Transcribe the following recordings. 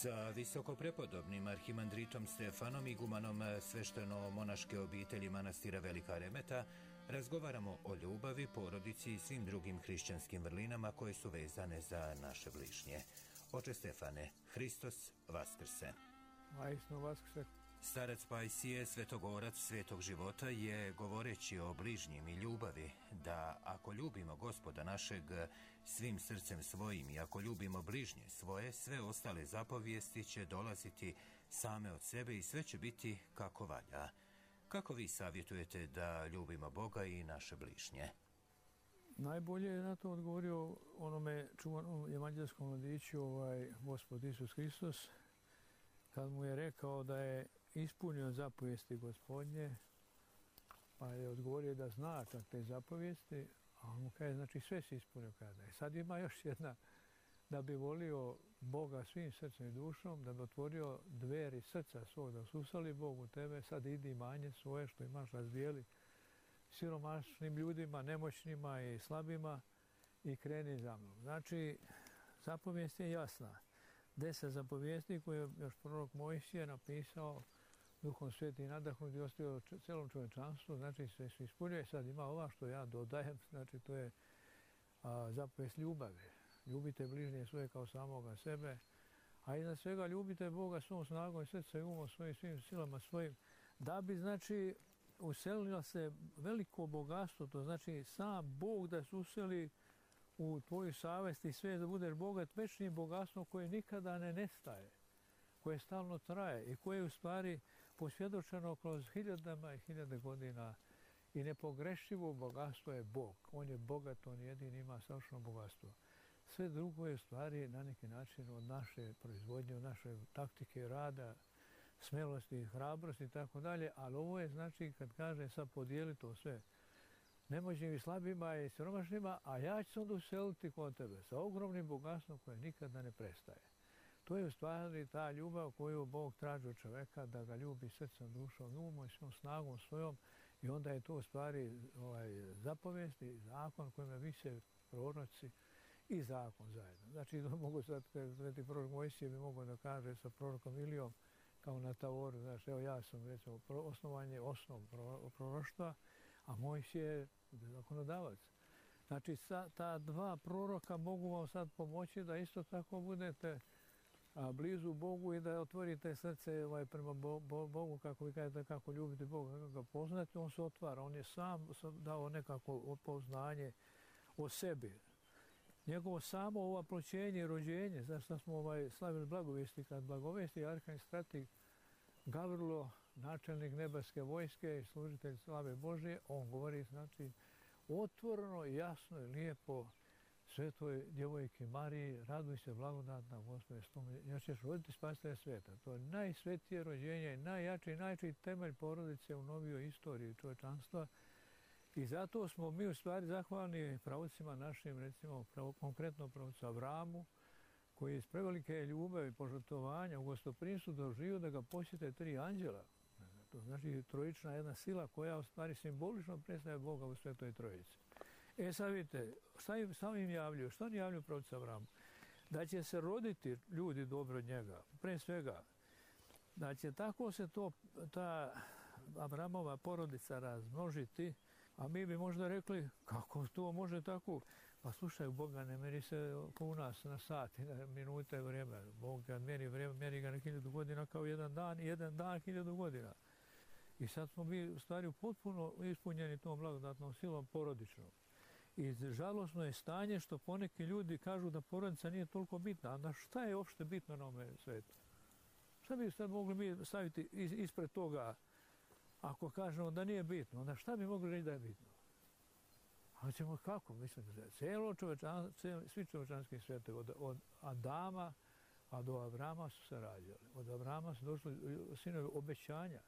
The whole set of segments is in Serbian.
Sa visokoprepodobnim arhimandritom Stefanom, igumanom svešteno-monaške obitelji manastira Velika Remeta, razgovaramo o ljubavi, porodici i svim drugim hrišćanskim vrlinama koje su vezane za naše bližnje. Oče Stefane, Hristos Vaskrse. Vaistinu Vaskrse. Starac Pajsije, svetogorac svetog života, je, govoreći o bližnjim i ljubavi, da ako ljubimo Gospoda našeg svim srcem svojim i ako ljubimo bližnje svoje, sve ostale zapovijesti će dolaziti same od sebe i sve će biti kako valja. Kako vi savjetujete da ljubimo Boga i naše bližnje? Najbolje je na to odgovorio onome čuvanom evanđelskom mladiću, Gospod Isus Hristos, kad mu je rekao da je ispunio zapovijesti Gospodnje, pa je odgovorio da zna čak te zapovijesti, a on mu kaže, znači sve si ispunio kada. I sad ima još jedna, da bi volio Boga svim srcem i dušom, da bi otvorio dveri srca svog, da susali Bogu tebe, sad idi manje svoje što imaš, razvijeli siromašnim ljudima, nemoćnima i slabima i kreni za mnom. Znači, zapovijest je jasna. 10 zapovijesti koje je još prorok Mojsije napisao, Duhom Svetim nadahnut i ostavio celom čovječanstvu, znači sve se ispunjuje. Sad ima ova što ja dodajem, znači to je zapovijest ljubavi. Ljubite bližnje svoje kao samoga sebe, a iznad svega ljubite Boga svom snagom i srca i umom svojim, svim silama svojim, da bi, znači, uselilo se veliko bogatstvo, to znači sam Bog da se useli u tvoju savest i sve da budeš bogat večnim bogatstvom koje nikada ne nestaje, koje stalno traje i koje je u stvari posvjedočeno kroz hiljadama i hiljade godina i nepogrešivo bogatstvo je Bog. On je bogat, on jedini ima savršeno bogatstvo. Sve drugo je u stvari na neki način od naše proizvodnje, od naše taktike rada, smelosti, hrabrosti i tako dalje, ali ovo je znači kad kaže sad podijeli to sve nemoćnim i slabima i siromašnima, a ja ću se onda useliti kod tebe sa ogromnim bogatstvom koje nikada ne prestaje. To je u stvari ta ljubav koju Bog traži od čoveka, da ga ljubi srcem, dušom, umom i svom snagom svojom, i onda je to u stvari zapovijest i zakon kojima vise proroci i zakon zajedno. Znači, mogu sad, sveti prorok Mojsije bi mogao da kaže sa prorokom Ilijom, kao na Tavoru, znači, evo ja sam, recimo, osnovanje osnov proroštva, a Mojsije je zakonodavac. Znači, ta dva proroka mogu vam sad pomoći da isto tako budete blizu Bogu i da otvorite srce prema Bogu, kako vi kažete, kako ljubite Boga, kako ga poznate, on se otvara, on je sam dao nekako poznanje o sebi. Njegovo samo ovaploćenje i rođenje, zašto smo slavili blagovesti, kad blagovesti arkanđel strateg Gavrilo, načelnik nebeske vojske i služitelj slave Božje, on govori, znači, otvoreno, jasno i lijepo svetoj djevojki Mariji, raduj se blagodatna Gospode s tobom, jer ćeš roditi spasitelja sveta. To je najsvetije rođenje, najjači temelj porodice u novijoj istoriji čovječanstva. I zato smo mi u stvari zahvalni pravocima našim, recimo konkretno pravcu Avramu, koji je iz prevelike ljubavi i požrtvovanja u gostoprimstvu doživio da ga posjete 3 anđela. To znači trojična jedna sila koja u stvari simbolično predstavlja Boga u Svetoj Trojici. Sad vidite, šta im javljaju? Što oni javljaju pravcu Avramu? Da će se roditi ljudi dobro od njega, pre svega. Da će tako se ta Avramova porodica razmnožiti, a mi bi možda rekli, kako to može tako? Pa slušaj, Boga ne meri se kao u nas na sat i na minute i vrijeme. Bog kad meri vrijeme, meri ga na 1000 godina kao jedan dan 1000 godina. I sad smo mi u stvari potpuno ispunjeni tom blagodatnom silom porodičnom. I žalosno je stanje što poneki ljudi kažu da porodica nije toliko bitna. A šta je uopšte bitno na ovome svetu? Šta bi sad mogli mi staviti ispred toga? Ako kažemo da nije bitno, onda šta bi mogli reći da je bitno? A ćemo kako? Mislim da svi čovječanski svetovi, od Adama a do Avrama su se rađali. Od Avrama su došli sinovi obećanja,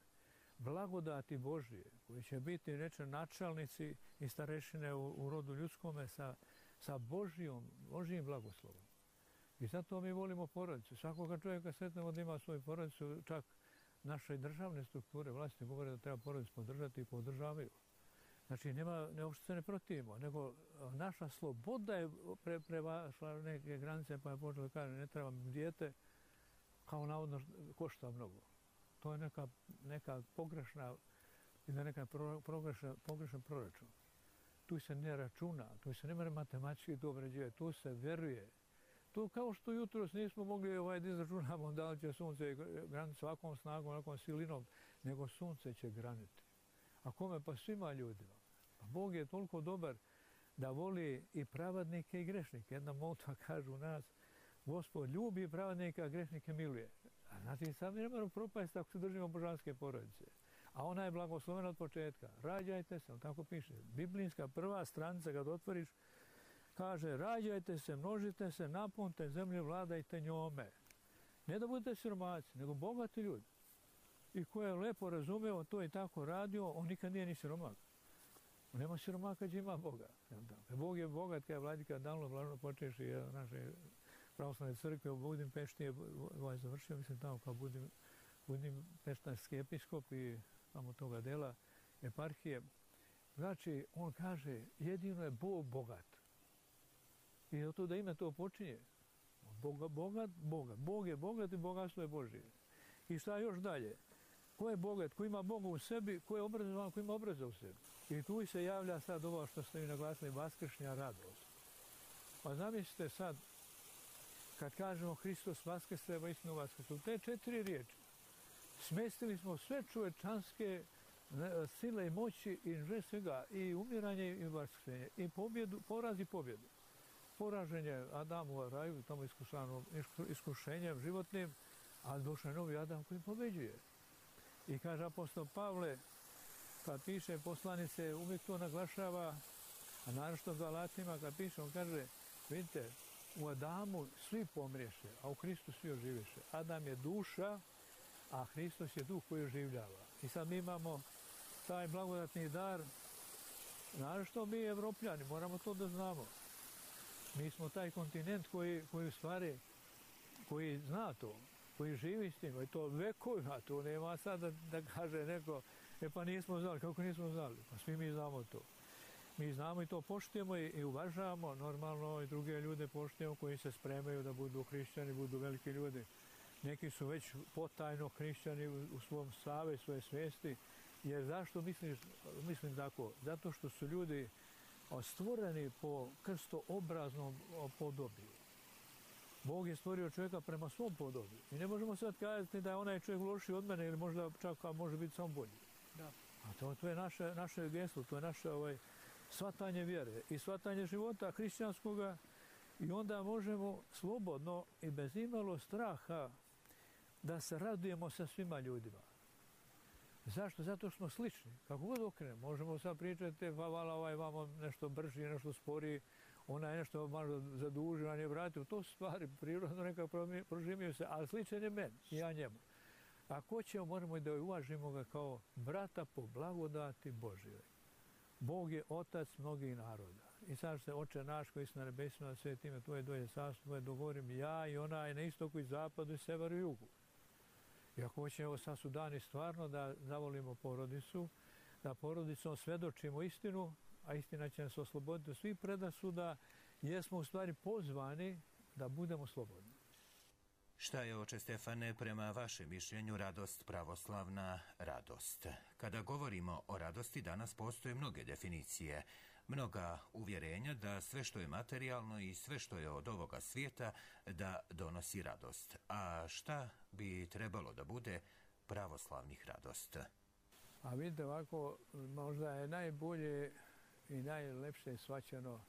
blagodati Božije, koji će biti, reče, načelnici i starešine u rodu ljudskome sa Božijim blagoslovom. I zato mi volimo porodicu. Svakoga čovjeka sretnemo da ima svoju porodicu, čak naše državne strukture vlasti govore da treba porodicu podržati i podržavaju. Znači, uopšte se ne protivimo, nego naša sloboda je prevašla neke granice, pa je počela da kaže, ne trebam dijete, kao navodno košta mnogo. To je neka pogrešna ili neka pogrešan proračun. Tu se ne računa, tu se ne mora matematički to obrađivati, tu se veruje. To kao što jutros nismo mogli da izračunamo da li će sunce graniti ovakvom snagom, ovakvom silinom, nego sunce će graniti. A kome? Pa svima ljudima. Pa Bog je toliko dobar da voli i pravednike i grešnike. Jedna molitva kaže u nas, Gospod ljubi pravednika, a grešnike miluje. A znači sad ne moramo propasti ako se držimo božanske porodice. A ona je blagoslovena od početka. Rađajte se, tako piše. Biblijska prva stranica kad otvoriš, kaže rađajte se, množite se, napunite zemlju, vladajte njome. Ne da budete siromaci, nego bogati ljudi. I ko je lepo razumeo to i tako radio, on nikad nije ni siromak. Nema siromaka kad ima Boga. Bog je bogat, kada je vladika Danilo Blažno počeši naše pravoslavne crkve u Budimpešti je završio, mislim tamo kao Budimpeštanski episkop i tamo toga dela eparhije. Znači, on kaže, jedino je Bog bogat. I zato da ime to počinje. Bogat, Boga. Bog je bogat i bogatstvo je Božje. I šta još dalje? Ko je bogat? Ko ima Boga u sebi? Ko je obrazovan? Ko ima obraza u sebi? I tu se javlja sad ovo što ste mi naglasili, vaskršnja radost. Pa zamislite sad, kad kažemo Hristos vaskrse, istinu vaskrse, u te 4 riječi smestili smo sve čovečanske sile i moći i sve svega, i umiranje i vaskrsenje, i pobjedu, poraz i pobjedu. Poraženje Adamu u raju, tamo iskušenjem životnim, a došao je novi Adam koji pobeđuje. I kaže apostol Pavle, kad piše poslanice, uvijek to naglašava, a naročito Galatima, kad piše, on kaže, vidite, u Adamu svi pomriješe, a u Hristu svi oživeše. Adam je duša, a Hristos je duh koji oživljava. I sad mi imamo taj blagodatni dar, naročito mi Evropljani, moramo to da znamo. Mi smo taj kontinent koji u stvari, koji zna to, koji živi s tim, i to vekovima, to nema sad da kaže neko, pa nismo znali, kako nismo znali, pa svi mi znamo to. Mi znamo i to poštujemo i uvažavamo, normalno i druge ljude poštujemo koji se spremaju da budu hrišćani, budu veliki ljudi. Neki su već potajno hrišćani u svom stave, svoje svijesti, jer zašto mislim tako? Zato što su ljudi stvoreni po krstoobraznom podobiju. Bog je stvorio čovjeka prema svom podobiju. I ne možemo sad kazati da je onaj čovjek lošiji od mene ili možda čak može biti samo bolji. Da. A to je naše geslo, to je naše shvatanje vjere i shvatanje života hrišćanskoga i onda možemo slobodno i bez imalo straha da se radujemo sa svima ljudima. Zašto? Zato što smo slični. Kako god okrenemo, možemo sad pričati, vala ovaj vamo nešto brži, nešto sporiji, ona je nešto malo zadužio, a nije vratio. To su stvari prirodno nekako proživio se, ali sličan je meni i ja njemu. Ako ćemo, moramo i da uvažimo ga kao brata po blagodati Božjoj. Bog je otac mnogih naroda. I sad se Oče naš koji si na nebesima, sveti ime tvoje, dođe carstvo tvoje, dogovorim ja i onaj na istoku i zapadu i severu i jugu. I ako hoćemo sad su dani stvarno da zavolimo porodicu, da porodicom svedočimo istinu, a istina će nas osloboditi od svih predrasuda, jer smo u stvari pozvani da budemo slobodni. Šta je, oče Stefane, prema vašem mišljenju radost pravoslavna radost? Kada govorimo o radosti, danas postoje mnoge definicije, mnoga uvjerenja da sve što je materijalno i sve što je od ovoga svijeta da donosi radost. A šta bi trebalo da bude pravoslavnih radost? A vidite ovako, možda je najbolje i najlepše shvaćeno,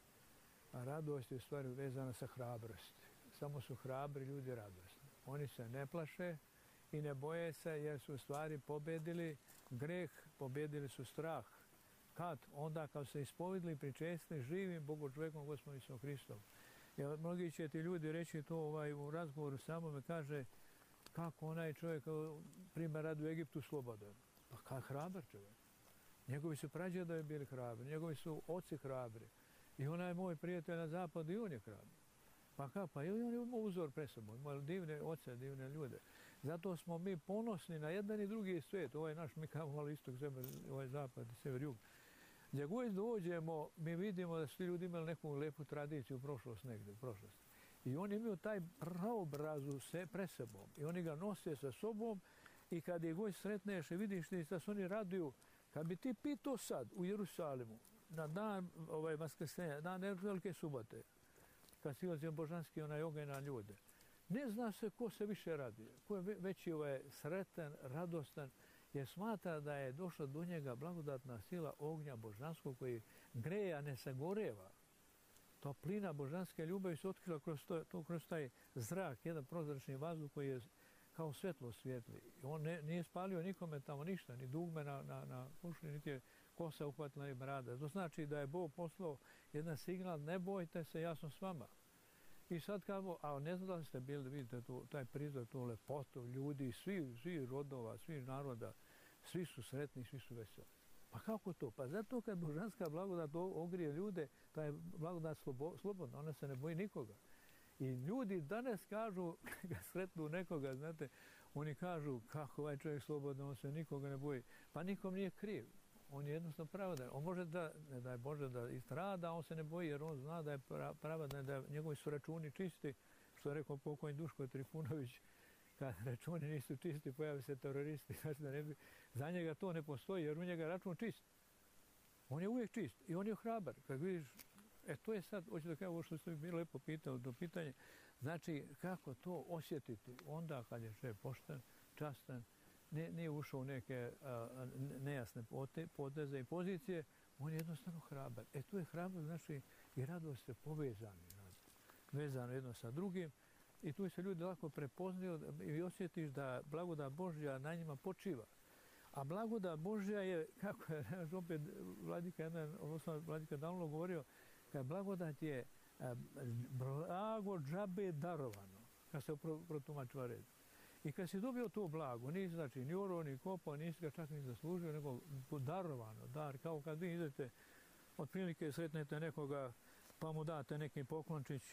a radost je u stvari vezana sa hrabrosti. Samo su hrabri ljudi radosni. Oni se ne plaše i ne boje se jer su u stvari pobjedili greh, pobjedili su strah. Kad? Onda kad se ispovedili, pričestili živim Bogu čovjekom Gospodom Isusom Hristom. Jer mnogi će ti ljudi reći to u razgovoru samome, kaže kako onaj čovjek primjer radi u Egiptu slobodan. Pa kad hrabar čovjek? Njegovi su prađedovi bili hrabri, njegovi su oci hrabri. I onaj moj prijatelj na zapadu i on je hrabri. Pa kako? Pa i on je imao uzor pre sobom, imao divne oce, divne ljude. Zato smo mi ponosni na jedan i drugi svijet. Ovaj naš, mi kao malo istok zemlje, ovaj zapad i sever jug. Gdje god dođemo, mi vidimo da svi ljudi imali neku lepu tradiciju, prošlost negdje, prošlost. I oni imaju taj praobrazu pre sobom. I oni ga nose sa sobom i kad je god sretneš i vidiš da se oni raduju, kad bi ti pitao sad u Jerusalimu, na dan Vaskrsenja, dan Velike subote, kad silazi božanski onaj oganj na ljude, ne zna se ko se više radi, ko je veći sretan, radostan, jer smatra da je došla do njega blagodatna sila ognja božanskog koji greje, a ne sagoreva. Toplina božanske ljubavi se otkrila kroz taj zrak, jedan prozračni vazduh koji je kao svetlo svijetli. On nije spalio nikome tamo ništa, ni dugme na kušni, niti je kosa uhvatila i brada. To znači da je Bog poslao jedan signal, ne bojte se, ja sam s vama. I sad kao, a ne znam da li ste bili, vidite taj prizor, tu lepotu ljudi, svi rodova, svi naroda, svi su sretni, svi su veseli. Pa kako to? Pa zato kad božanska blagodat ogrije ljude, ta je blagodat slobodna, ona se ne boji nikoga. I ljudi danas kažu, kad sretnu nekoga, znate, oni kažu kako ovaj čovjek slobodno, on se nikoga ne boji. Pa nikom nije kriv. On je jednostavno pravadan. On može ne daj Bože da istrada, on se ne boji jer on zna da je pravadan, da njegovi su računi čisti. Što je rekao pokojni Duško Trifunović, kad računi nisu čisti, pojave se teroristi. Za njega to ne postoji jer u njega račun čist. On je uvijek čist i on je hrabar. Kad vidiš, to je sad, hoću da kažem ovo što ste mi lepo pitali do pitanja, znači kako to osjetiti onda kad je čovjek pošten, častan, nije ušao u neke nejasne poteze i pozicije, on je jednostavno hrabar. Tu je hrabar, znači i radost je povezani, vezano jedno sa drugim i tu se ljudi lako prepoznaju i osjetiš da blagodat Božja na njima počiva. A blagodat Božja je, kako je opet Vladika davno govorio, kad blagodat je blago džabe darovano, kad se protumačila red. I kad si dobio to blago, nisi znači ni orao, ni kopao, nisi ga čak ni zaslužio, nego darovano, dar, kao kad vi idete, otprilike sretnete nekoga, pa mu date neki poklončić,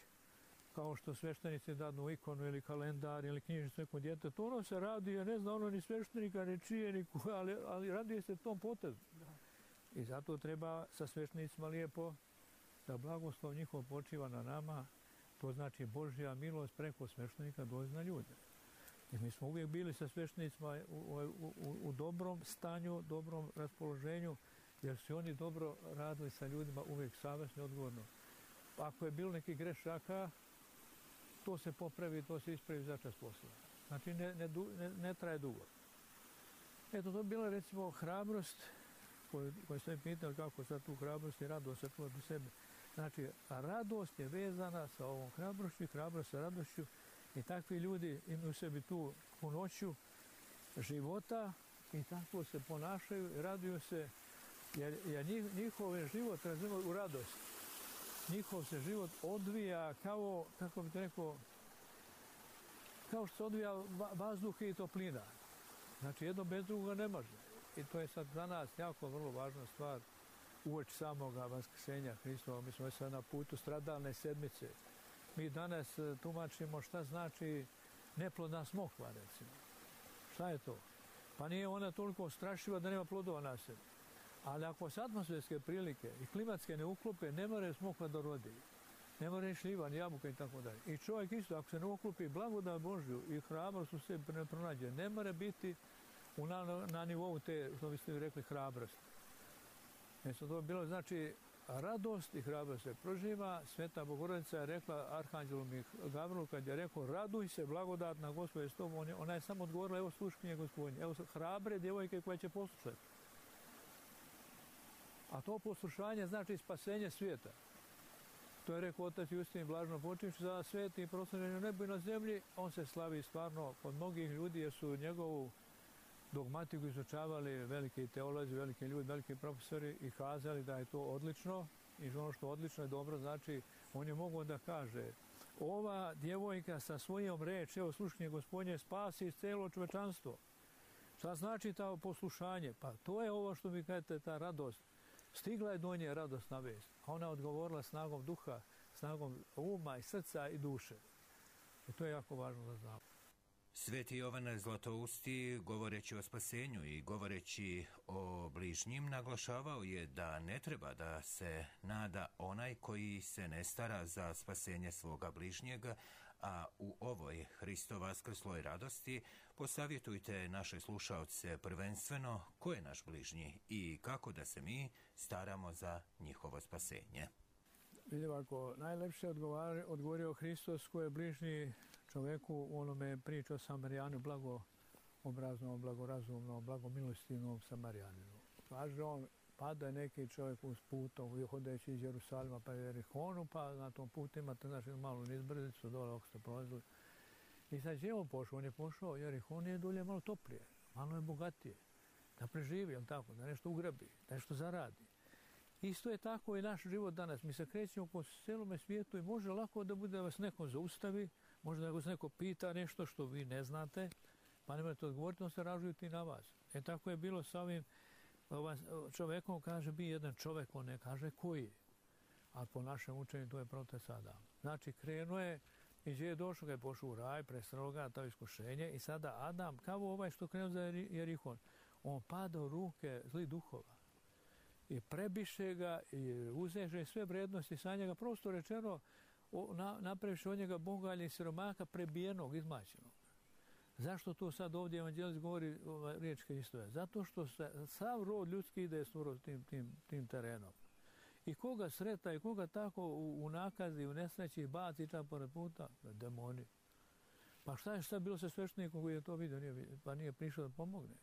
kao što sveštenici dadnu ikonu ili kalendar ili knjižicu nekom djetetu, to ono se radi, ne zna ono ni sveštenika, ni čije, ni ali raduje se tom potezu. I zato treba sa sveštenicima lijepo da blagoslov njihov počiva na nama, to znači Božja milost preko sveštenika dolazi na ljude. I mi smo uvijek bili sa sveštenicima u dobrom stanju, dobrom raspoloženju, jer su oni dobro radili sa ljudima uvijek savjesno i odgovorno. Ako je bilo neki grešaka, to se popravi, to se ispravi za čas posla. Znači ne traje dugo. Eto, to je bila recimo hrabrost koju ste mi pitali kako sad tu hrabrost i radost sačuvati u sebi. Znači, radost je vezana sa ovom hrabrošću i hrabrost sa radošću i takvi ljudi imaju u sebi tu punoću života i tako se ponašaju i raduju se jer njihov život razumiju u radost. Njihov se život odvija kao, kako bih rekao, kao što se odvija vazduh i toplina. Znači, jedno bez drugoga ne može. I to je sad za nas jako vrlo važna stvar uoči samoga vaskrsenja Hristova. Mi smo sad na putu stradalne sedmice. Mi danas tumačimo šta znači neplodna smokva, recimo. Šta je to? Pa nije ona toliko strašljiva da nema plodova na sebi. Ali ako se atmosferske prilike i klimatske ne uklope, ne more smokva da rodi. Ne more šljiva, ni jabuka i tako dalje. I čovjek isto, ako se ne uklopi blagodat Božju i hrabrost u sebi ne pronađe, ne more biti na nivou te, što biste rekli, hrabrosti. Mjesto to bilo, znači, radost i hrabrost se proživa. Sveta Bogorodica je rekla Arhanđelu Gavrilu kad je rekao raduj se, blagodatna Gospode s tobom. Ona je samo odgovorila, evo sluškinje Gospodnje, evo hrabre djevojke koje će poslušati. A to poslušanje znači spasenje svijeta. To je rekao otac Justin blažno počivši za sveti i proslavljen u nebu i na zemlji. On se slavi stvarno kod mnogih ljudi jer su njegovu dogmatiku izučavali veliki teolozi, veliki ljudi, veliki profesori i kazali da je to odlično i ono što odlično je dobro znači on je mogao da kaže ova djevojka sa svojom reči, evo slušanje Gospodnje, spasi celo čovečanstvo. Šta znači ta poslušanje? Pa to je ovo što vi kažete, ta radost. Stigla je do nje radosna vest, a ona odgovorila snagom duha, snagom uma i srca i duše. I to je jako važno da znamo. Sveti Jovan Zlatousti, govoreći o spasenju i govoreći o bližnjim, naglašavao je da ne treba da se nada onaj koji se ne stara za spasenje svoga bližnjega, a u ovoj Hristo vaskrsloj radosti posavjetujte naše slušaoce prvenstveno ko je naš bližnji i kako da se mi staramo za njihovo spasenje. Vidimo, ako najlepše odgovorio Hristos ko je bližnji čoveku u onome priča o Samarijanu, blagoobraznom, blagorazumnom, blagomilostivnom Samarijaninu. Kaže on, pada je neki čovjek uz putom, hodeći iz Jerusalima pa Jerihonu, pa na tom putu imate malu nizbrzicu, dole ako ste prolazili. I sad je on pošao, on je pošao, Jerihon je dolje malo toplije, malo je bogatije, da preživi, jel tako, da nešto ugrabi, da nešto zaradi. Isto je tako i naš život danas. Mi se krećemo po celome svijetu i može lako da bude da vas neko zaustavi, možda da vas neko pita nešto što vi ne znate, pa ne možete odgovoriti, on se ražujuti na vas. Tako je bilo sa ovim čovekom, kaže, bi jedan čovek, on ne kaže koji. A po našem učenju to je protest Adam. Znači, krenuo je i gdje je došao, ga je pošao u raj, presreo ga to iskušenje i sada Adam, kao ovaj što krenuo za Jerihon, on pada u ruke zlih duhova. I prebiše ga i uzeže sve vrednosti sa njega, prosto rečeno, napraviše od njega bogalja i siromaka prebijenog, izmaćenog. Zašto to sad ovdje evanđelist govori riječ Hristove? Zato što sav rod ljudski ide skoro tim terenom. I koga sreta i koga tako u nakazi, u nesreći baci čak pored puta? Demoni. Pa šta je bilo sa sveštenikom koji je to vidio, pa nije prišao da pomogne?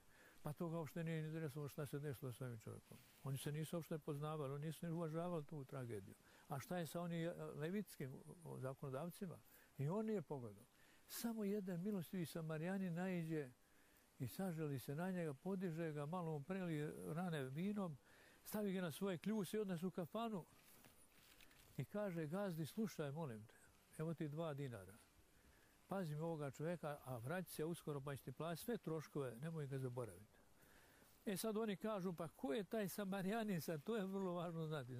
Pa to ga uopšte nije interesovalo šta se desilo s ovim čovjekom. Oni se nisu uopšte poznavali, oni nisu uvažavali tu tragediju. A šta je sa onim levitskim zakonodavcima? I on nije pogledao. Samo jedan milostivi Samarijanin naiđe i saželi se na njega, podiže ga, malo mu preli rane vinom, stavi ga na svoje kljuse i odnese u kafanu i kaže, gazdi, slušaj, molim te, evo ti 2 dinara. Pazim ovoga čovjeka, a vrati se uskoro pa će ti platiti sve troškove, nemoj ga zaboraviti. Sad oni kažu, pa ko je taj Samarijanin sad? To je vrlo važno znati.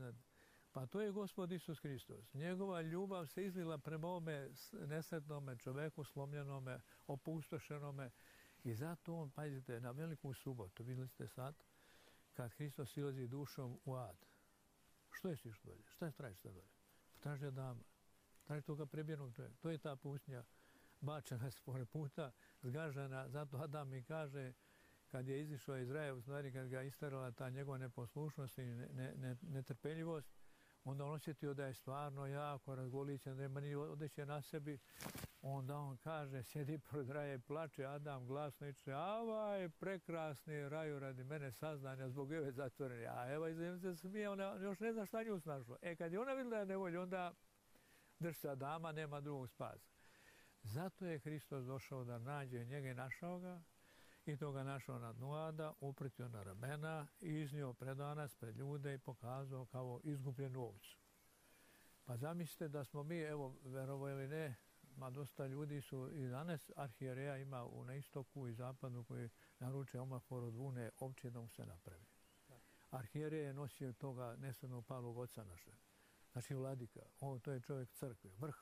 Pa to je Gospod Isus Hristos. Njegova ljubav se izlila prema ovome nesretnome čoveku, slomljenome, opustošenome. I zato on, pazite, na veliku subotu, vidjeli ste sad, kad Hristos silazi dušom u ad. Što je siš dolje? Šta je tražiš sad dolje? Traži Adama. Traži toga prebijenog čovjeka. To je ta pustinja bačena pored puta, zgažena. Zato Adam mi kaže, kad je izišao iz raja, u stvari kad ga isterala ta njegova neposlušnost i netrpeljivost, onda on osjetio da je stvarno jako razgolićen, da nema ni odeće na sebi. Onda on kaže, sjedi pored raja i plače, Adam glasno iče, avaj, prekrasni raju radi mene saznanja zbog Eve zatvorene. A Eva iz se smije, ona još ne zna šta nju snašlo. Kad je ona vidjela da je nevolja, onda drži se Adama, nema drugog spasa. Zato je Hristos došao da nađe njega i našao ga, i to ga našao na dnu ada, upretio na ramena i iznio pred nas, pred ljude i pokazao kao izgubljenu ovcu. Pa zamislite da smo mi, evo, verovo ili ne, ma dosta ljudi su i danas arhijereja ima na istoku i zapadu koji naruče omafor od vune ovče da mu se napravi. Arhijereja je nosio toga nesrednog palog oca naše. Znači vladika, to je čovjek crkve, vrh.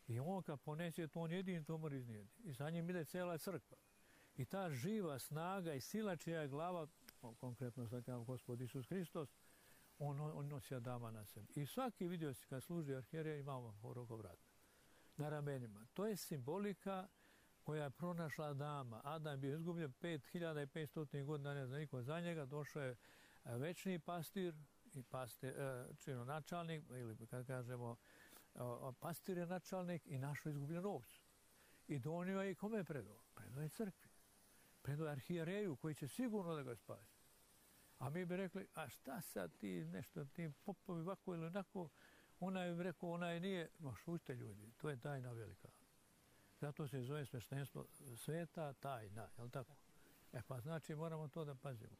I on kad ponese to, on jedin to mora iznijeti. I sa njim ide cela crkva. I ta živa snaga i sila čija je glava, konkretno sad kao Gospod Isus Hristos, on nosi Adama na sebi. I svaki vidio se kad služi arhijereja ima omafor oko vrata. Na ramenima. To je simbolika koja je pronašla Adama. Adam je bio izgubljen 5500 godina, ne zna niko za njega, došao je večni pastir i načalnik, ili kad kažemo pastir je načalnik i našao izgubljenu ovcu. I donio je i kome je predao? Predao je crkvi. Predao je arhijereju koji će sigurno da ga spasi. A mi bi rekli, a šta sad ti nešto, ti popovi ovako ili onako, onaj bi rekao, onaj nije, ma šušte ljudi, to je tajna velika. Zato se zove sveštenstvo sveta tajna, je li tako? Pa znači moramo to da pazimo.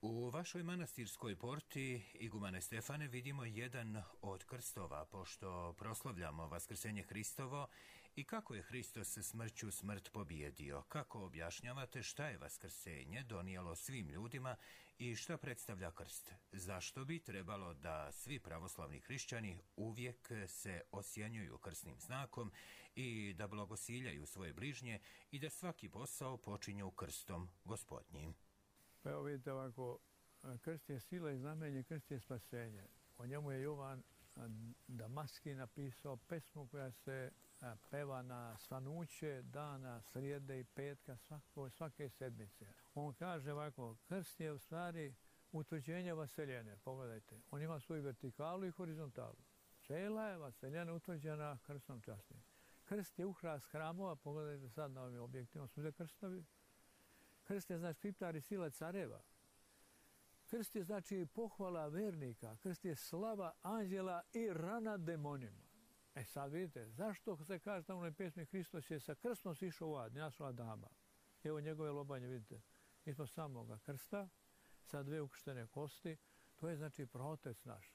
U vašoj manastirskoj porti, igumane Stefane, vidimo jedan od krstova, pošto proslavljamo Vaskrsenje Hristovo I kako je Hristos smrću smrt pobijedio? Kako objašnjavate šta je vaskrsenje donijelo svim ljudima i šta predstavlja krst? Zašto bi trebalo da svi pravoslavni hrišćani uvijek se osjenjuju krsnim znakom i da blagosiljaju svoje bližnje i da svaki posao počinju krstom Gospodnjim? Pa evo vidite ovako, krst je sila i znamenje, krst je spasenje. O njemu je Jovan Damaski napisao pesmu koja se peva na svanuće dana srijede i petka svake sedmice. On kaže ovako, krst je u stvari utvrđenje vaseljene. Pogledajte, on ima svoju vertikalu i horizontalu. Cela je vaseljena utvrđena krstom časnim. Krst je uhrast hramova, pogledajte sad na ovim objektima, su krstovi. Krst je znači kriptar i sila careva. Krst je znači pohvala vernika, krst je slava anđela i rana demonima. E sad vidite, zašto se kaže tamo na pesmi Hristos je sa krstom sišao u ad, nasla dama. Evo njegove lobanje, vidite, ispod samoga krsta, sa 2 ukrštene kosti, to je znači protec naš.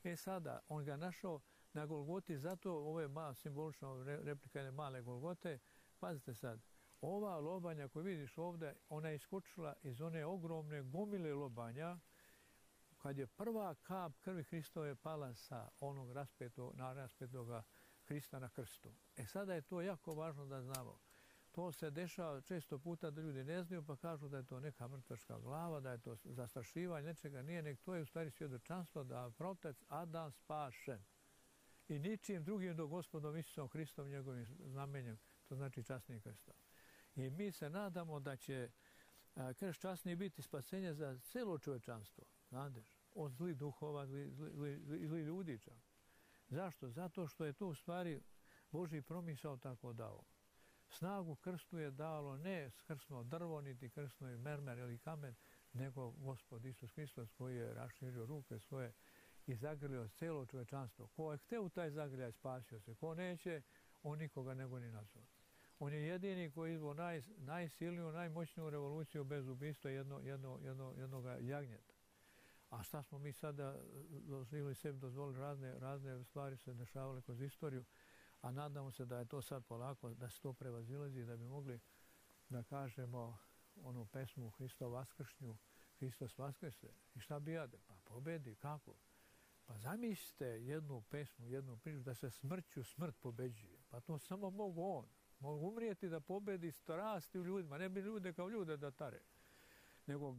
E sada, on ga našao na Golgoti, zato ovo je simbolično replika jedne male Golgote. Pazite sad, ova lobanja koju vidiš ovdje, ona je iskočila iz one ogromne gomile lobanja, kad je prva kap krvi Hristove pala sa onog raspetoga Hrista na krstu. E sada je to jako važno da znamo. To se dešava često puta da ljudi ne znaju pa kažu da je to neka mrtvačka glava, da je to zastrašivanje, nečega nije, nek to je u stvari svjedočanstvo da protec Adam spašen. I ničim drugim do Gospodom Isusom Hristom njegovim znamenjem, to znači časnim krstom. I mi se nadamo da će krst časni biti spasenje za celo čovečanstvo, znadeš, od zlih duhova, zli ljudi čak. Zašto? Zato što je to u stvari Božji promisao tako dao. Snagu krstu je dalo ne krsno drvo, niti krsno mermer ili kamen, nego Gospod Isus Hristos koji je raširio ruke svoje i zagrlio celo čovečanstvo. Ko je hteo taj zagrljaj, spasio se. Ko neće, on nikoga ne goni nazad. On je jedini koji je izveo najsilniju, najmoćniju revoluciju bez ubistva jednog jagnjeta. A šta smo mi sada ili sebi dozvolili, razne stvari se dešavale kroz istoriju, a nadamo se da je to sad polako, da se to prevazilazi, da bi mogli da kažemo onu pesmu Hristo vaskršnju, Hristos vaskrse. I šta bi jade? Pa pobedi, kako? Pa zamislite jednu pesmu, jednu priču, da se smrću smrt pobeđuje. Pa to samo mogu on. Mogu umrijeti da pobedi strasti u ljudima, ne bi ljude kao ljude da tare, nego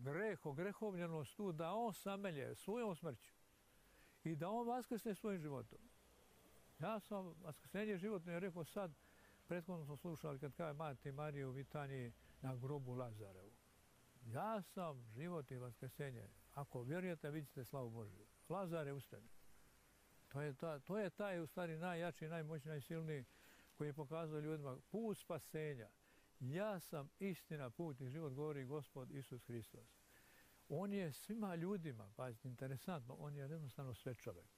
grehovljenost tu da on samelje svojom smrću i da on vaskrsne svojim životom. Ja sam vaskrsenje životno je rekao sad, prethodno smo slušali kad kaže Mati Mariju u Vitaniji na grobu Lazarevu. Ja sam život i vaskrsenje. Ako vjerujete, vidite slavu Božju. Lazare ustane. To je taj u stvari najjači, najmoćniji, najsilniji koji je pokazao ljudima put spasenja. Ja sam istina, put i život, govori Gospod Isus Hristos. On je svima ljudima, pazite, interesantno, on je jednostavno sve čovjek.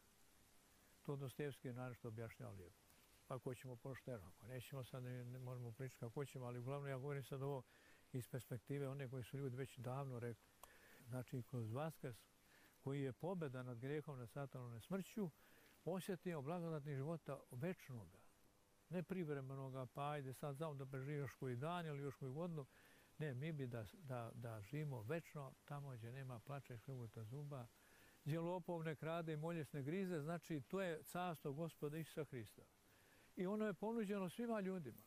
To Dostojevski je naravno objašnjava lijepo. Pa ko ćemo pošteno, ako nećemo sad, ne možemo pričati kako ćemo, ali uglavnom ja govorim sad ovo iz perspektive one koji su ljudi već davno rekli. Znači, kroz vaskrs koji je pobjeda nad grehom, nad satanom, nad smrću, osjetio blagodatnih života večnoga. Ne privremenoga, pa ajde sad znamo da preživi još koji dan ili još koju godinu. Ne, mi bi da živimo večno tamo gdje nema plača i škrguta zuba, gdje lopov ne krade i moljes ne grize, znači to je carstvo Gospoda Isusa Hrista. I ono je ponuđeno svima ljudima.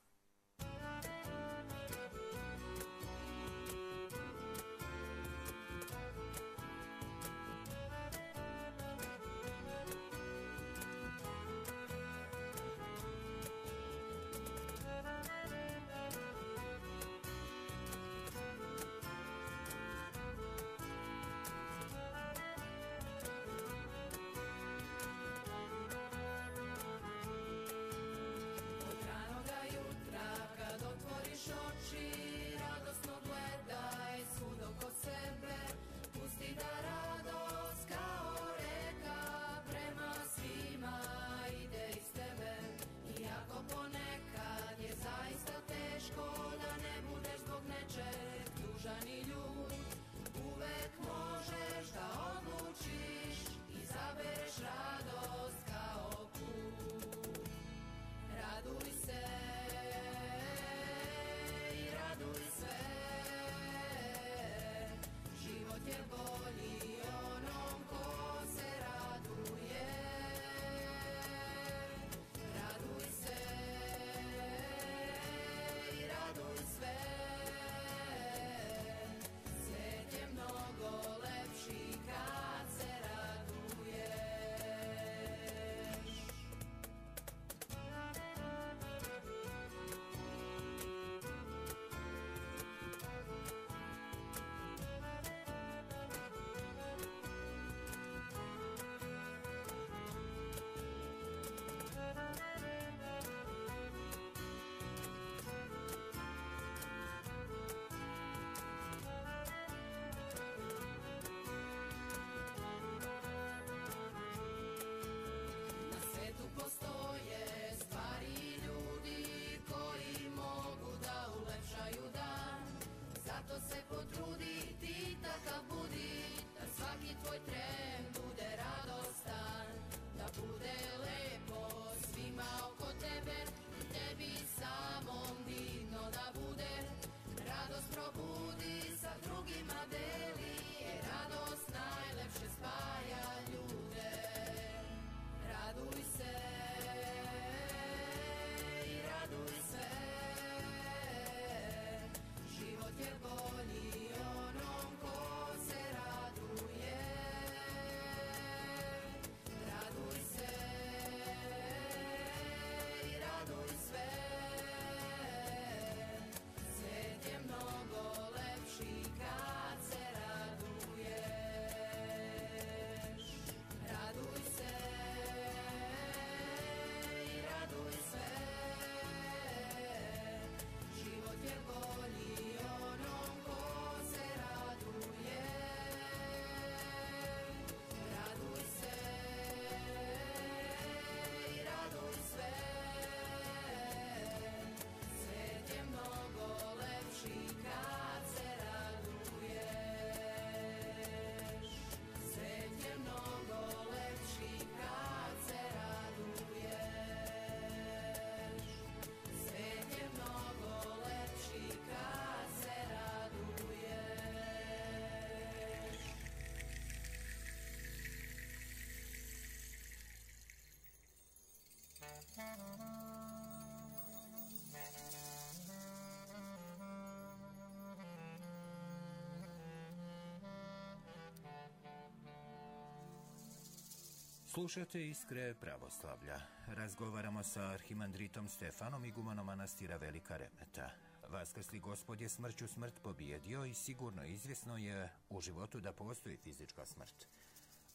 Slušate Iskre pravoslavlja. Razgovaramo sa arhimandritom Stefanom, igumanom manastira Velika Remeta. Vaskrsli Gospod je smrću smrt pobijedio i sigurno izvjesno je u životu da postoji fizička smrt.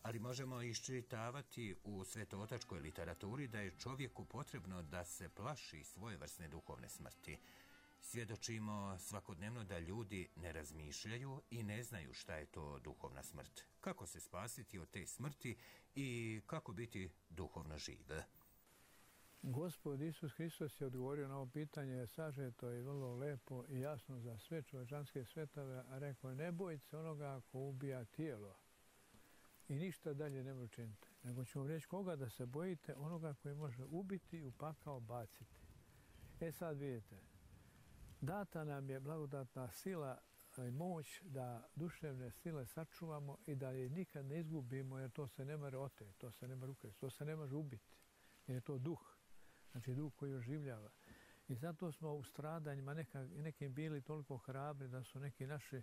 Ali možemo iščitavati u svetootačkoj literaturi da je čovjeku potrebno da se plaši svojevrsne duhovne smrti. Svjedočimo svakodnevno da ljudi ne razmišljaju i ne znaju šta je to duhovna smrt. Kako se spasiti od te smrti i kako biti duhovno živ? Gospod Isus Hristos je odgovorio na ovo pitanje sažeto i vrlo lepo i jasno za sve čovječanske svetove, a rekao je: ne bojte se onoga ko ubija tijelo i ništa dalje ne može učiniti, nego ću vam reći koga da se bojite, onoga koji može ubiti i u pakao baciti. Sad vidite, data nam je blagodatna sila i moć da duševne sile sačuvamo i da je nikad ne izgubimo, jer to se ne može oteti, to se ne može ukrasti, to se ne može ubiti, jer je to duh, znači duh koji oživljava. I zato smo u stradanjima nekim bili toliko hrabri da su neki naši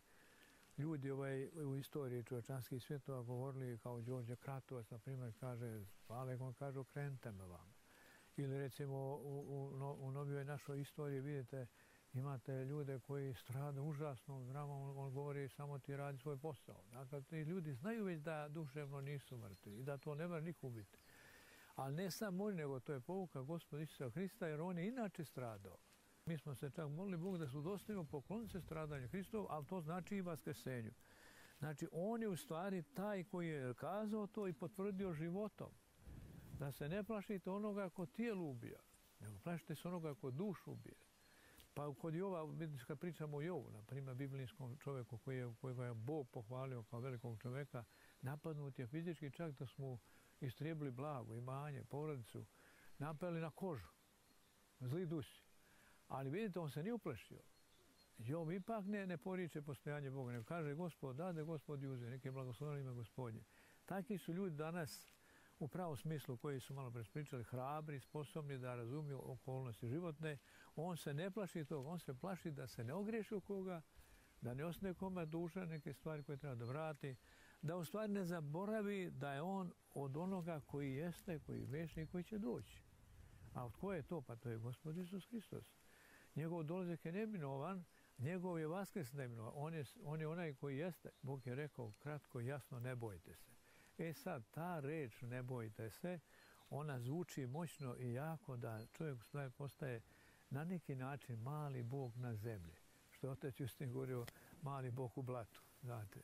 ljudi u istoriji čovječanskih svjetova govorili, kao Đorđe Kratovac, na primjer, kaže: Pale, on kaže, okrenite me vam. Ili recimo u novijoj našoj istoriji vidite, imate ljude koji strade užasnom dramom, on govori samo ti radi svoj posao. Dakle, ti ljudi znaju već da duševno nisu mrtvi i da to ne može niko ubiti. Ali ne samo oni, nego to je pouka Gospoda Isusa Hrista, jer on je inače stradao. Mi smo se čak molili Bog da su dostojno pokloniti se stradanju Hristovu, ali to znači i vaskrsenju. Znači, on je u stvari taj koji je kazao to i potvrdio životom. Da se ne plašite onoga ko tijelo ubija, nego plašite se onoga ko dušu ubije. Pa kod Jova, kad pričamo o Jovu, na primjer, biblijskom čovjeku kojega je Bog pohvalio kao velikog čovjeka, napadnut je fizički, čak da smo istrijebili blago, imanje, porodicu, napali na kožu, zli dusi. Ali vidite, on se nije uplašio. Job ipak ne poriče postojanje Boga, nego kaže Gospod dade, Gospod uze, neke blagosloveno ime Gospodnje. Takvi su ljudi danas u pravom smislu koji su malo prespričali, hrabri, sposobni da razumiju okolnosti životne. On se ne plaši toga, on se plaši da se ne ogriješi u koga, da ne ostane kome duša neke stvari koje treba da vrati, da u stvari ne zaboravi da je on od onoga koji jeste, koji je vječni i koji će doći. A od koje je to? Pa to je Gospod Isus Hristos. Njegov dolazak je neminovan, njegov je vaskrs neminovan. On je onaj koji jeste. Bog je rekao kratko i jasno, ne bojte se. E sad, ta reč ne bojte se, ona zvuči moćno i jako da čovjek u stvari postaje na neki način mali Bog na zemlji. Što je otac Justin govorio, mali Bog u blatu. Znate,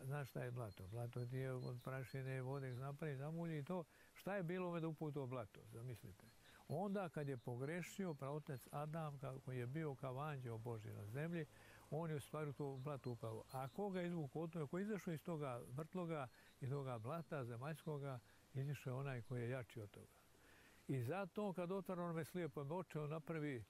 znaš šta je blato? Blato ti je od prašine vode napravi, zamulji i to. Šta je bilo ove da uputao blato? Zamislite. Onda kad je pogrešio praotac Adam, koji je bio kao anđeo Božji na zemlji, on je u stvari to blato upao. A koga izvukao od toga, ko je izašao iz toga vrtloga i toga blata zemaljskoga, izašao je onaj koji je jači od toga. I zato kad otvara onome slijepom oče, on napravi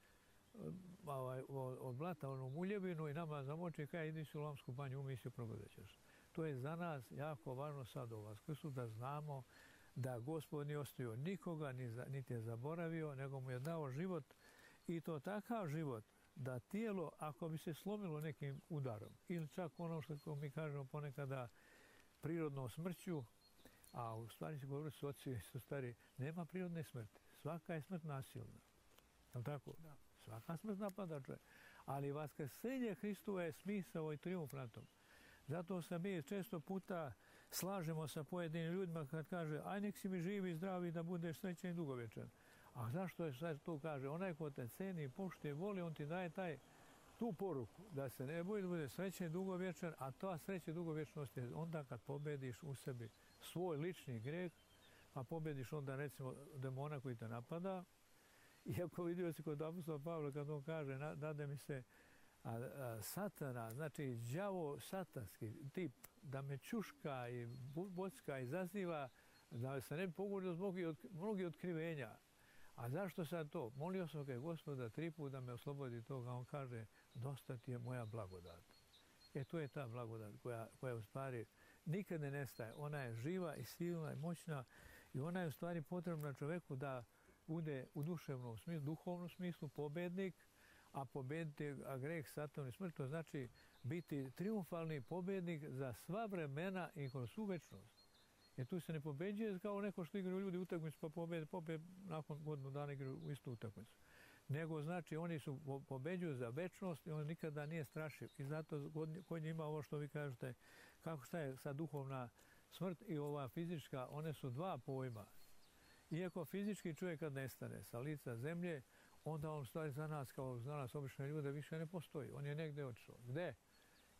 od blata onu muljevinu i nama zamoči kaj idi si u Lamsku banju, umi se progledat ćeš. To je za nas jako važno sad u Vaskrsu da znamo da Gospod nije ostavio nikoga, niti je zaboravio, nego mu je dao život i to takav život da tijelo, ako bi se slomilo nekim udarom ili čak ono što mi kažemo ponekada prirodnom smrću, a u stvari se govori su oci su stari, nema prirodne smrti. Svaka je smrt nasilna. Je tako? Da. Svaka smrt napada čovjek. Ali vaskrsenje Hristova je smisao i trijumf na tom. Zato se mi često puta slažemo sa pojedinim ljudima kad kaže aj nek si mi živi i zdravi da budeš srećan i dugovječan. A zašto je sad to kaže? Onaj ko te ceni, poštuje, voli, on ti daje tu poruku da se ne boji da bude srećan i dugovječan, a ta sreća i dugovječnost je onda kad pobediš u sebi svoj lični greh, a pobediš onda recimo demona koji te napada. Iako vidio se kod apostola Pavla kad on kaže dade mi se satana, znači đavo satanski tip, da me čuška i bocka i zaziva, da se ne bi pogodio zbog mnogih otkrivenja. A zašto sad to? Molio sam ga Gospoda 3 puta da me oslobodi toga. On kaže, dosta ti je moja blagodat. To je ta blagodat koja u stvari nikad ne nestaje. Ona je živa i silna i moćna i ona je u stvari potrebna čovjeku da bude u duševnom smislu, duhovnom smislu pobednik, a pobediti greh, satan i smrt, to znači biti triumfalni pobednik za sva vremena i kroz svu večnost. Jer tu se ne pobeđuje kao neko što igraju ljudi utakmicu pa pobede nakon godinu dana igraju u istu utakmicu. Nego znači oni su pobeđuju za večnost i on nikada nije strašiv. I zato kod njih ima ovo što vi kažete, šta je sad duhovna smrt i ova fizička, one su dva pojma. Iako fizički čovjek kad nestane sa lica zemlje, onda on stvari za nas, kao za nas obične ljude, više ne postoji. On je negdje otišao. Gde?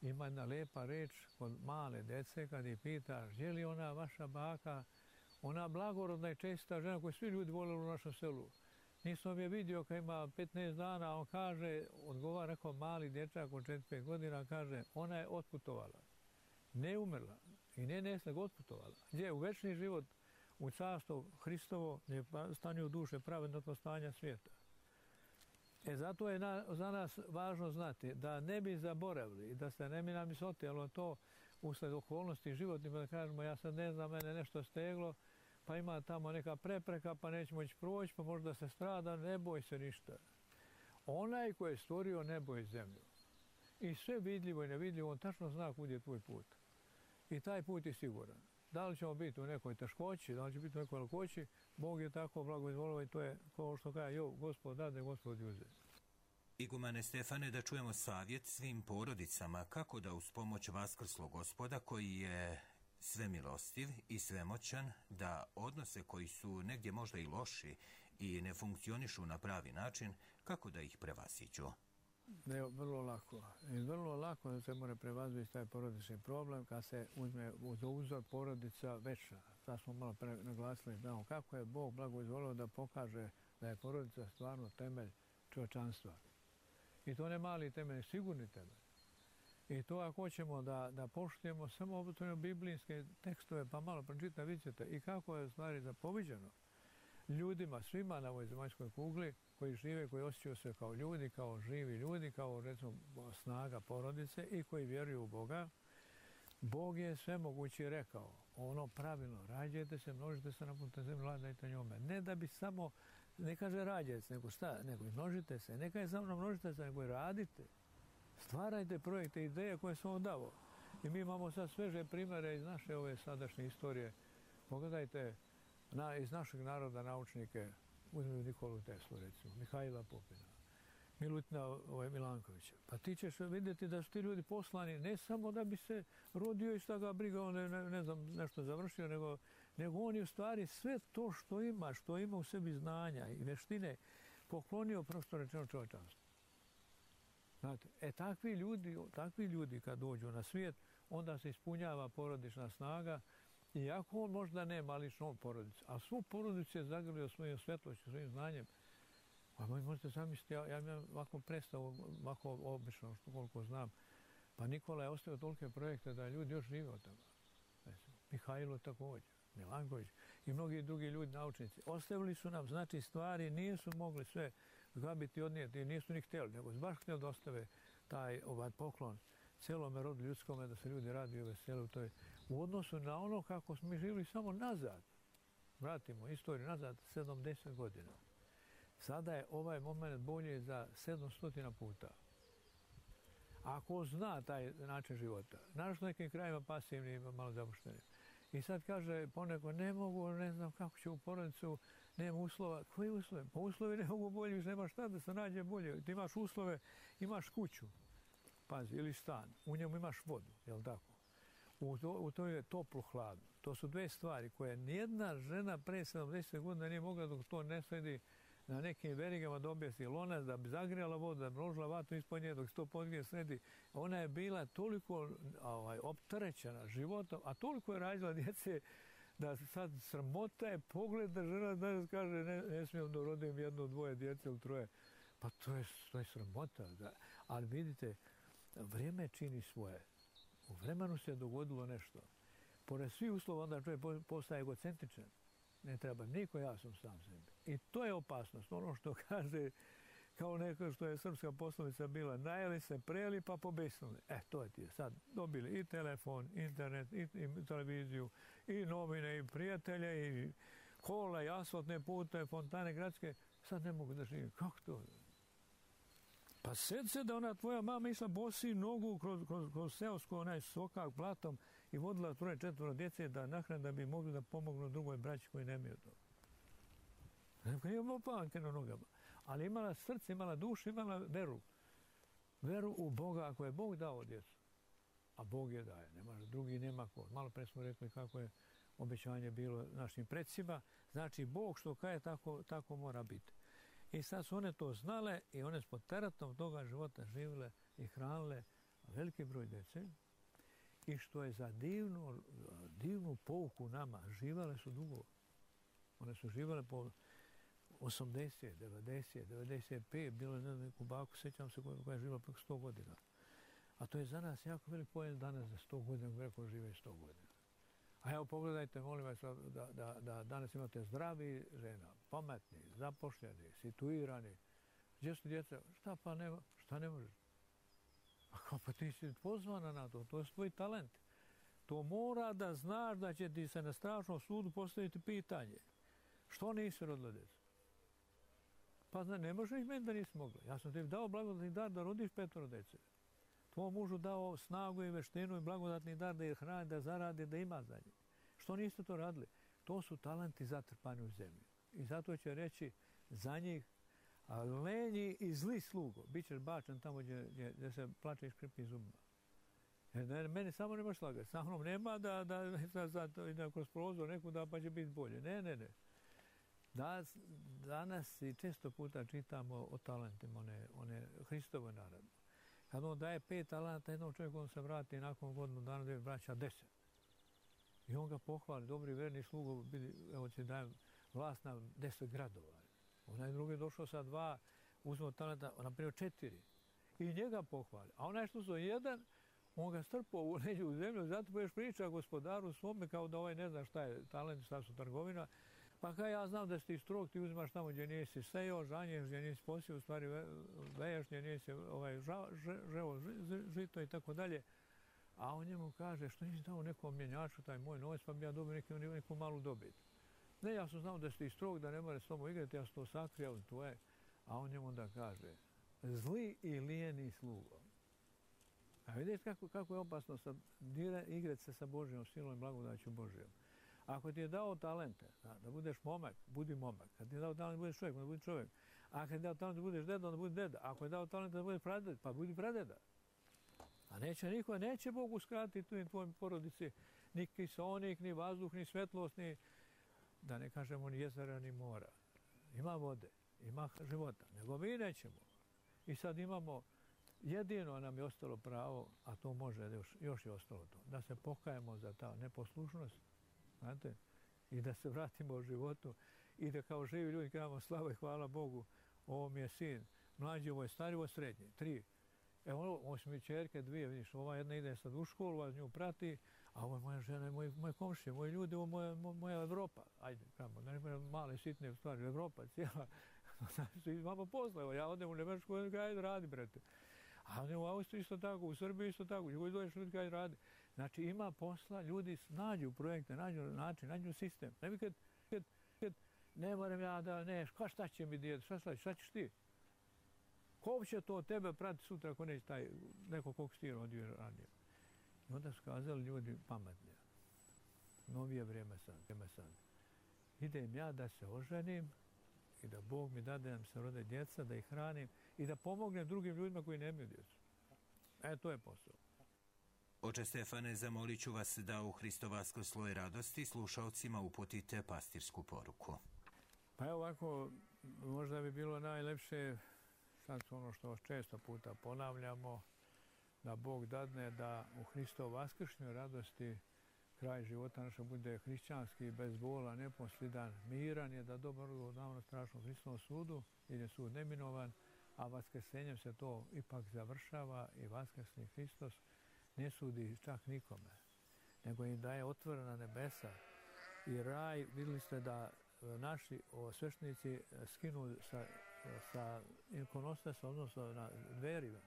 Ima jedna lepa reč kod male dece kad ih pita, je li ona vaša baka, ona blagorodna i česta žena koju svi ljudi volili u našem selu. Nisam je vidio kad ima 15 dana, on kaže, odgovara, rekao mali dječak od 4-5 godina, kaže, ona je otputovala. Ne umrla i ne nego otputovala. Gdje? U večni život, u carstvo Hristovo, gdje stanje u duše pravednog stanja svijeta. Zato je za nas važno znati da ne bi zaboravili i da se ne bi nam isotijelo to usled okolnosti životnih, da kažemo ja sad ne znam, mene nešto steglo, pa ima tamo neka prepreka, pa nećemo ići proći, pa možda se strada, ne boj se ništa. Onaj koji je stvorio nebo i zemlju i sve vidljivo i nevidljivo, on tačno zna kud je tvoj put. I taj put je siguran. Da li ćemo biti u nekoj teškoći, da li će biti u nekoj lakoći, Bog je tako blagoizvolio i to je kao što kaže, Gospod dade, Gospod uze. Igumane Stefane, da čujemo savjet svim porodicama kako da uz pomoć vaskrslog Gospoda koji je svemilostiv i svemoćan, da odnose koji su negdje možda i loši i ne funkcionišu na pravi način, kako da ih prevaziđu. Vrlo lako. I vrlo lako da se mora prevazići taj porodični problem kad se uzme za uzor porodica večna. Sad smo malo naglasili, znamo kako je Bog blagoizvolio da pokaže da je porodica stvarno temelj čovječanstva. I to ne mali temelj, sigurni temelj. I to ako hoćemo da poštujemo samo obično biblijske tekstove, pa malo pročita, vidite i kako je stvari zapoviđeno ljudima, svima na ovoj zemaljskoj kugli, koji žive, koji osjećaju se kao ljudi, kao živi ljudi, kao recimo snaga porodice i koji vjeruju u Boga. Bog je sve moguće rekao, ono pravilno, rađajte se, množite se na putu zemlje, vladajte njome. Ne da bi samo, ne kaže rađajte se, nego šta, nego i množite se, ne kaže samo množite se, nego i radite. Stvarajte projekte, ideje koje sam vam dao. I mi imamo sad sveže primjere iz naše ove sadašnje istorije. Pogledajte iz našeg naroda naučnike, uzmimo Nikolu Teslu recimo, Mihajla Pupina, Milutina Milankovića. Pa ti ćeš vidjeti da su ti ljudi poslani ne samo da bi se rodio i šta ga briga, on ne znam nešto završio, nego on je u stvari sve to što ima u sebi znanja i veštine poklonio prosto rečeno čovječanstvu. Znate, takvi ljudi kad dođu na svijet, onda se ispunjava porodična snaga, iako on možda nema lično porodicu, a svu porodicu je zagrlio svojim svetlošću, svojim znanjem. Pa možete zamisliti, ja imam ovako predstavu, ovako obično, koliko znam. Pa Nikola je ostavio tolike projekte da ljudi još žive od toga. Mihajlo također, Milanković i mnogi drugi ljudi, naučnici. Ostavili su nam, znači, stvari, nisu mogli sve zgrabiti i odnijeti, nisu ni htjeli, nego baš htjeli da ostave taj poklon celome rodu ljudskome, da se ljudi raduju i vesele u odnosu na ono kako smo mi živjeli samo nazad. Vratimo istoriju nazad 70 godina. Sada je ovaj moment bolje za 700 puta. Ako zna taj način života, naravno nekim krajima pasivni, malo zapušteni. I sad kaže poneko, ne mogu, ne znam kako će u porodicu, nema uslova. Koji uslove? Pa uslovi ne mogu bolje, više nema šta da se nađe bolje. Ti imaš uslove, imaš kuću, pazi, ili stan, u njemu imaš vodu, jel tako? U to je toplo, hladno. To su dve stvari koje nijedna žena pre 70 godina nije mogla dok to ne sredi na nekim verigama da objesi lonac, da bi zagrijala vodu, da bi ložila vatru ispod nje dok se to podgrije sredi. Ona je bila toliko opterećena životom, a toliko je rađala djece da sad sramota je pogled da žena danas kaže ne smijem da rodim jedno, dvoje djece ili troje. Pa to je sramota. Ali vidite, vrijeme čini svoje. U vremenu se dogodilo nešto. Pored svih uslova onda čovjek postaje egocentričan. Ne treba niko, ja sam sam sebi. I to je opasnost. Ono što kaže, kao neko što je srpska poslovica bila, najeli se, prejeli pa pobesnuli. To je ti. Sad dobili i telefon, internet, i televiziju, i novine, i prijatelje, i kola, i asfaltne pute, fontane gradske. Sad ne mogu da živim. Kako to? Pa sjeti se da ona tvoja mama išla bosi nogu kroz seosku, onaj sokak platom i vodila 3-4 djece da nahrane da bi mogli da pomognu drugoj braći koji nemaju to. Nije imala panke na nogama, ali imala srce, imala dušu, imala veru. Veru u Boga, ako je Bog dao djecu. A Bog je daje, drugi nema ko. Malo pre smo rekli kako je obećanje bilo našim predsima. Znači, Bog što kaje, tako mora biti. I sad su one to znale i one s pod teratom toga života živjele i hranile veliki broj djece. I što je za divnu pouku nama, živjele su dugo. One su živjele po 80, 90, 95, bilo je neku baku, sjećam se koja je živjela preko 100 godina. A to je za nas jako velik pojem danas za 100 godina, kako žive 100 godina. A evo pogledajte, molim vas, da danas imate zdravi žena, pametni, zapošljeni, situirani. Gdje su djeca? Šta pa nema? Šta ne možeš? A kao pa ti si pozvana na to, to je tvoj talent. To mora da znaš da će ti se na strašnom sudu postaviti pitanje. Što nisi rodila djecu? Pa ne možeš meni da nisi mogla. Ja sam ti dao blagodatni dar da rodiš 5 djece. Tvojom mužu dao snagu i veštinu i blagodatni dar da je hrani, da zaradi, da ima za njih. Što niste to radili? To su talenti zatrpani u zemlji. I zato će reći za njih lenji i zli slugo. Bićeš bačen tamo gdje se plače i škripi zubima. Jer meni samo nemaš slagati. Sa mnom nema da kroz prozor nekuda pa će biti bolje. Ne. Danas i često puta čitamo o talentima one Hristove narode. Kad on daje 5 talenta jednom čovjeku, on se vrati nakon godinu dana da je vraća 10. I on ga pohvali, dobri verni slugo, evo će dajem vlast na 10 gradova. Onaj drugi je došao sa 2, uzmeo talenta, naprijed 4. I njega pohvali. A onaj što su 1, on ga strpao u zemlju, zato pa još priča gospodaru svome kao da ovaj ne zna šta je talent, šta su trgovina. Pa kaj ja znam da si ti strog, ti uzimaš tamo gdje nisi sejao, žanješ gdje nisi posio, u stvari veješ gdje nisi ževo žito i tako dalje. A on njemu kaže, što nisi dao nekom mjenjaču taj moj novac, pa bi ja dobio neku malu dobit. Ne, ja sam znao da si ti strog, da ne more s tobom igrati, ja sam to sakrio, tvoje. A on njemu onda kaže, zli i lijeni slugo. A vidite kako je opasno igrati se sa Božjom silom i blagodaću Božjom. Ako ti je dao talente, da budeš momak, budi momak. Kad ti je dao talent da budeš čovjek, onda budi čovjek. A kad ti je dao talent da budeš deda, onda budi deda. Ako je dao talent da budeš pradeda, pa budi pradeda. A neće Bog uskratiti tu i tvojoj porodici ni kiseonik, ni vazduh, ni svetlost, ni, da ne kažemo, ni jezera, ni mora. Ima vode, ima života, nego mi nećemo. I sad imamo, jedino nam je ostalo pravo, a to može, još je ostalo to, da se pokajemo za ta neposlušnost, znate, i da se vratimo u životu i da kao živi ljudi kažemo slava i hvala Bogu, ovo mi je sin, mlađi, ovo je stari, ovo je srednji, 3. Evo, ovo su mi čerke 2, vidiš, ova jedna ide sad u školu, ova nju prati, a ovo je moja žena, moje komšije, moji ljudi, ovo je moja Evropa. Ajde, kamo, da ne bude male, sitne stvari, Evropa, cijela. Imamo posla, evo, ja odem u Nemačku, ajde, radi, brete. A ne u Austriji isto tako, u Srbiji isto tako, gdje dođeš ljudi kaj radi. Znači ima posla, ljudi nađu projekte, nađu način, nađu sistem. Ne bi kad ne moram ja da, ne, šta će mi djeti, šta ćeš ti? Ko će to tebe prati sutra ako neće taj neko kog si ti rodio ranije? I onda su kazali ljudi pametni. Novije vrijeme sad. Idem ja da se oženim i da Bog mi dade da nam se rode djeca, da ih hranim i da pomognem drugim ljudima koji nemaju djecu. To je posao. Oče Stefane, zamolit ću vas da u Hristov vaskrslo radosti slušalcima uputite pastirsku poruku. Pa evo ovako, možda bi bilo najlepše, sad ono što često puta ponavljamo, da Bog dadne da u Hristov vaskršnjoj radosti kraj života naša bude hrišćanski, bez bola, neposlidan, miran je, da dobro damo na strašnom Hristovom sudu, jer je sud neminovan, a vaskrsenjem se to ipak završava i vaskrsni Hristos ne sudi čak nikome, nego im daje otvorena nebesa i raj. Vidjeli ste da naši sveštenici skinu sa ikonostas, odnosno na dveri,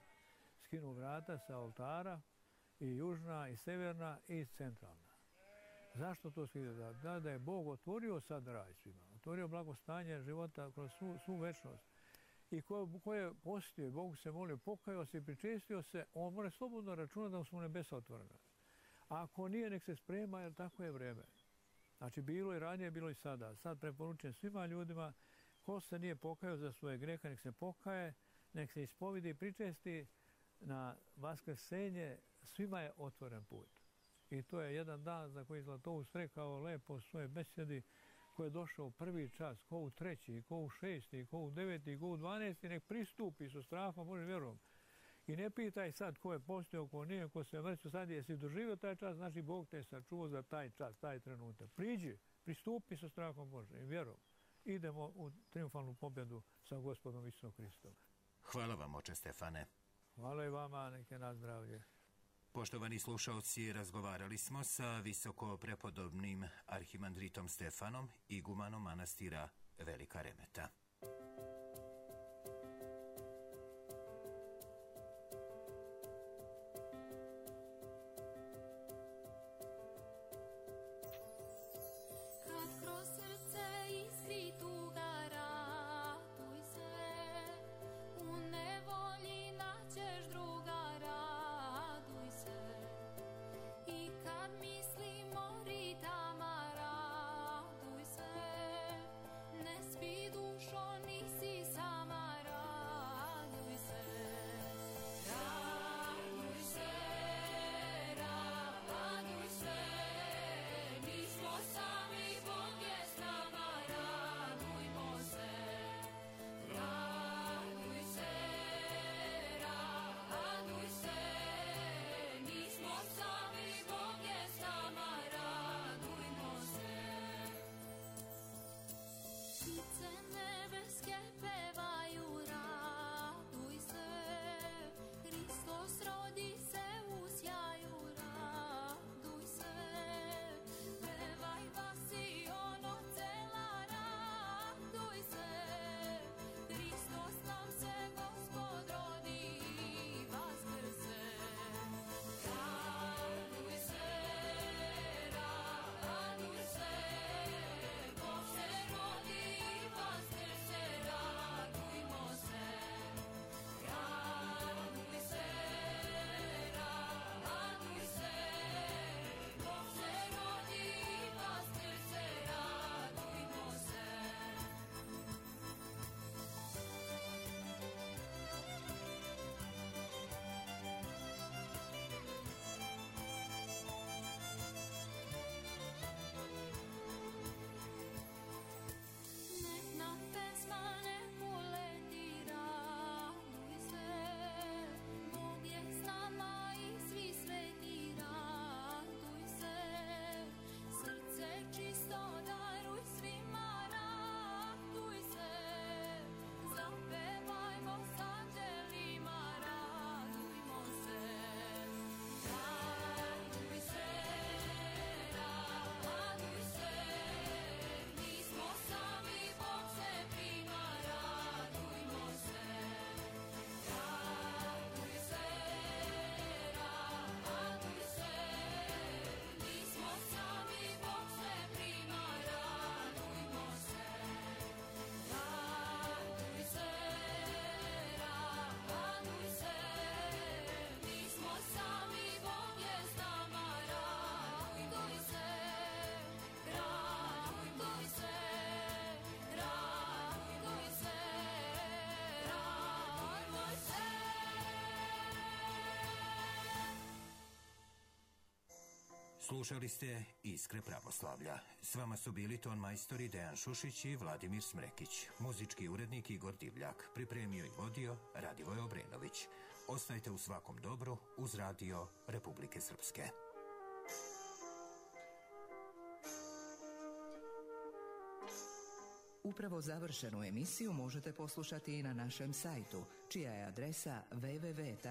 skinu vrata sa oltara i južna i severna i centralna. Zašto to skida? Da je Bog otvorio sad raj svima, otvorio blagostanje života kroz svu večnost. I ko je postio, Bogu se molio, pokajao se i pričestio se, on mora slobodno računati da su mu nebesa otvorena. A ako nije, nek se sprema, jer tako je vrijeme. Znači, bilo je ranije, bilo i sada. Sad preporučujem svima ljudima, ko se nije pokajao za svoje grehe, nek se pokaje, nek se ispovidi i pričesti na vaskrsenje, svima je otvoren put. I to je jedan dan za koji Zlatoust rekao lepo u svojoj besedi, ko je došao u prvi čas, ko u treći, ko u šesti, ko u deveti, ko u 12, nek pristupi sa strahom Božjim vjerom. I ne pitaj sad ko je postio, ko nije, ko se mrtvo sad, jesi doživio taj čas, znači Bog te je sačuvao za taj čas, taj trenutak. Priđi, pristupi sa strahom Božjim i vjerom. Idemo u triumfalnu pobjedu sa Gospodom Isusom Hristom. Hvala vam, oče Stefane. Hvala i vama, neke na zdravlje. Poštovani slušalci, razgovarali smo sa visoko prepodobnim arhimandritom Stefanom, igumanom manastira Velika Remeta. Dušo Slušali ste Iskre pravoslavlja. S vama su bili ton majstori Dejan Šušić i Vladimir Smrekić. Muzički urednik Igor Divljak. Pripremio i vodio Radivoj Obrenović. Ostajte u svakom dobru uz Radio Republike Srpske. Upravo završenu emisiju možete poslušati i na našem sajtu, čija je adresa www.rtrs.tv.